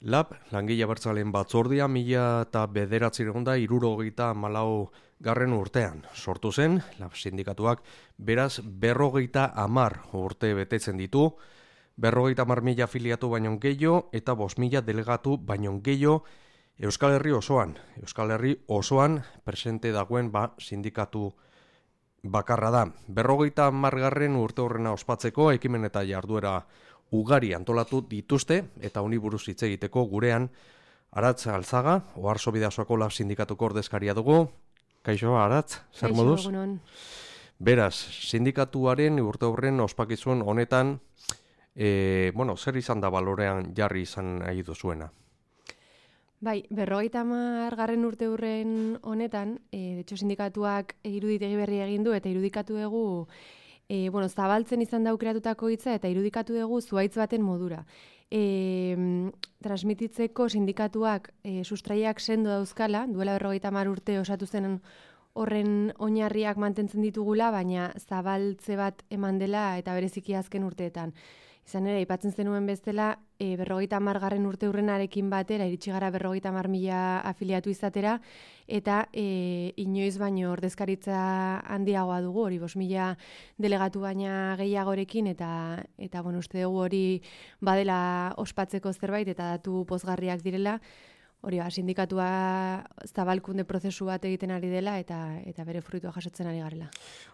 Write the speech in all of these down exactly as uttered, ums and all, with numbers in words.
Lab, langile abertzaleen batzordia mila eta bederatziehun eta hirurogeita hamalau garren urtean. Sortu zen, Lab sindikatuak beraz berrogeita hamar urte betetzen ditu, berrogeita hamar mila afiliatu baino gehiago eta bost mila delegatu baino gehiago Euskal Herri osoan. Euskal Herri osoan presente dagoen ba sindikatu bakarra da. Berrogeita hamar garren urte horrena ospatzeko ekimen eta jarduera ugari antolatu dituzte eta honi buruz hitz egiteko gurean Aratz Alzaga, Oarso Bidasoako Lab sindikatuko ordezkaria dugu. Kaixo, Aratz, zer moduz? Egunon. Beraz, sindikatuaren urte horren ospakizun honetan, e, bueno, zer izan da balorean jarri izan nahi duzuena? Bai, berrogeita hamar garren urte hurren honetan, e, detxo sindikatuak iruditegi berri egin du eta irudikatu dugu E, bueno, zabaltzen izan da aukeratutako hitza eta irudikatu dugu zuhaitz baten modura. E, transmititzeko sindikatuak e, sustraiak sendo dauzkala, duela berrogeita hamar urte osatu zen horren oinarriak mantentzen ditugula, baina zabaltze bat eman dela eta bereziki azken urteetan. Izan ere, aipatzen zenuen bezala, e, berrogeita hamar garren urte hurrenarekin batera, iritsi gara berrogeita hamar mila afiliatu izatera, eta e, inoiz baino ordezkaritza handiagoa dugu, hori bost mila delegatu baina gehiagorekin, eta, eta bueno, uste dugu hori badela ospatzeko zerbait, eta datu pozgarriak direla, hori ba, sindikatua zabalkunde prozesu bat egiten ari dela eta eta bere fruitua jasotzen ari garela.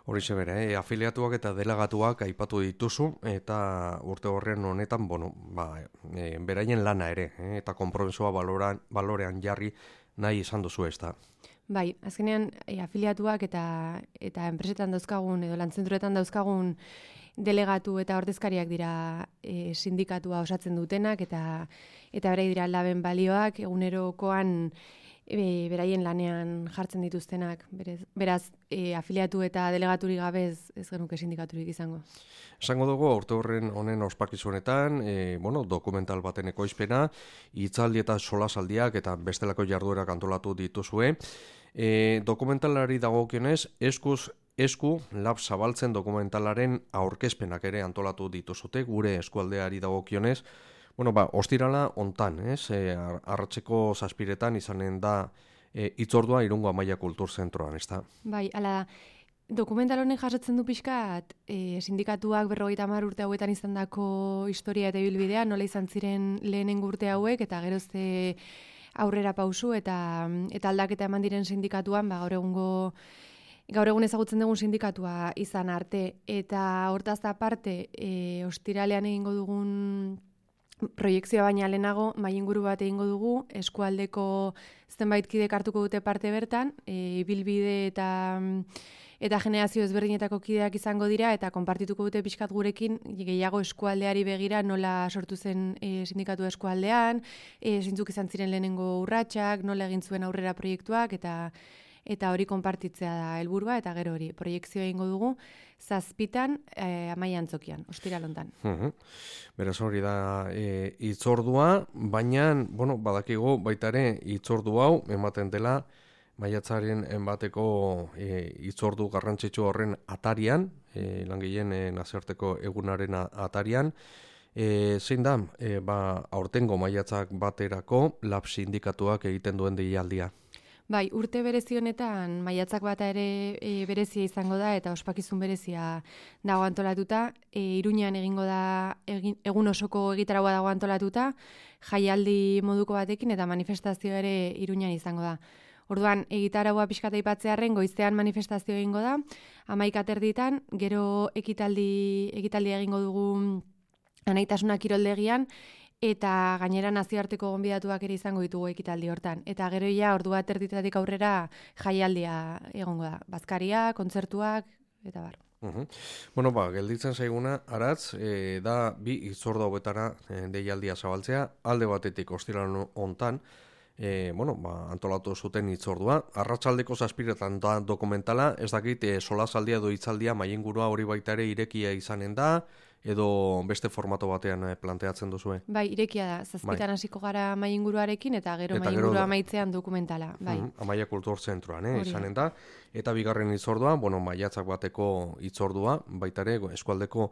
Horixe bere, eh? afiliatuak eta delegatuak aipatu dituzu eta urte horren honetan, bueno, ba, e, beraien lana ere, eh? eta konpromisoa baloran, balorean jarri nahi izan duzu ez da. Bai, azkenean e, afiliatuak eta eta enpresetan dauzkagun edo lantzentruetan dauzkagun delegatu eta ordezkariak dira e, sindikatua osatzen dutenak eta eta berai dira laben balioak egunerokoan e, beraien lanean jartzen dituztenak. Berez, beraz, e, afiliatu eta delegaturik gabe ez, ez genuke sindikaturik izango. Esango dugu urte horren honen ospakizunetan, e, bueno, dokumental baten ekoizpena, hitzaldi eta solasaldiak eta bestelako jarduerak antolatu dituzue. E, dokumentalari dagokionez, eskuz esku Lab zabaltzen dokumentalaren aurkezpenak ere antolatu dituzute gure eskualdeari dagokionez. Bueno, ba, ostirala hontan, ez? E, arratseko zazpiretan izanen da e, itzordua Irungo Amaia Kultur Zentroan, ez da? Bai, ala, dokumental honek jasotzen du pixkat, e, sindikatuak berrogeita hamar urte hauetan izandako historia eta ibilbidea, nola izan ziren lehenengo urte hauek, eta gerozte aurrera pausu eta, eta aldaketa eman diren sindikatuan, ba, gaur egungo Gaur egun ezagutzen dugun sindikatua izan arte, eta hortaz aparte, e, ostiralean egingo dugun proiekzioa baina lehenago, mai inguru bat egingo dugu, eskualdeko zenbait kidek hartuko dute parte bertan, e, bilbide eta eta generazio ezberdinetako kideak izango dira, eta konpartituko dute pixkat gurekin, gehiago eskualdeari begira nola sortu zen e, sindikatu eskualdean, e, zintzuk izan ziren lehenengo urratsak, nola egin zuen aurrera proiektuak, eta eta hori konpartitzea da helburua eta gero hori proiekzioa egingo dugu zazpitan e, Amaia Antzokian, ostiralontan. Uh-huh. Beraz hori da e, itzordua, baina bueno, badakigu baita ere itzordu hau ematen dela maiatzaren bateko e, itzordu garrantzitsu horren atarian, e, langileen e, nazioarteko egunaren atarian. E, zein da, e, ba, aurtengo maiatzak baterako Lab sindikatuak egiten duen deialdia? Bai, urte berezi honetan maiatzak bata ere e, berezia izango da eta ospakizun berezia dago antolatuta. E, Iruñean egingo da egin, egun osoko egitaragoa dago antolatuta, jaialdi moduko batekin eta manifestazioa ere Iruñean izango da. Orduan, egitaragoa pixkata aipatzearren goizean manifestazio egingo da, hamaika terditan, gero ekitaldi, ekitaldi egingo dugu Anaitasuna kiroldegian, eta gainera nazioarteko gonbidatuak ere izango ditugu ekitaldi hortan. Eta gero ja ordu bat erditatik aurrera jaialdia egongo da. Bazkaria, kontzertuak, eta bar. Uhum. Bueno, ba, gelditzen zaiguna, Aratz, e, da bi itzordu hauetara e, deialdia zabaltzea, alde batetik ostiral hontan, e, bueno, ba, antolatu zuten itzordua. Arratsaldeko zazpiretan da dokumentala, ez dakit e, solasaldia edo hitzaldia maiengurua hori baita ere irekia izanen da, edo beste formato batean planteatzen duzue? Bai, irekia da. Zazpitan hasiko gara maiinguruarekin eta gero maiingurua amaitzean dokumentala. Bai. Uh, Amaia Kultur Zentroan, eh, izanen da. Eta bigarren itzordua, bueno, maiatzak bateko itzordua, baita ere eskualdeko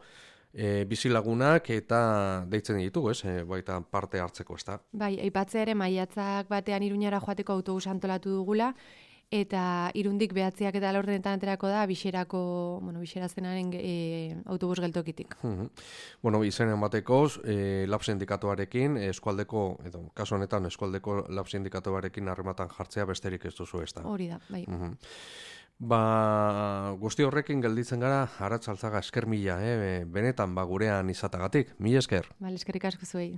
e, bizilagunak eta deitzen ditugu, ez? E, baita parte hartzeko, ez da? Bai, aipatzea ere maiatzak batean Iruñara joateko autobus antolatu dugula, eta Irundik behatziak eta laurdenetan aterako da Bixerako, bueno, Bixera zenaren e, autobus geltokitik. Mhm. Bueno, izenen batekoz, e, lab sindikatuarekin, eskualdeko, edo kasu honetan eskualdeko lab sindikatuarekin harrematan jartzea besterik ez duzu, ez da? Hori da, bai. Mhm. Ba, guzti horrekin gelditzen gara, Aratz Altzaga, esker mila, eh? benetan ba gurean izatagatik. Mila esker. Bale, eskerrik asko zuei.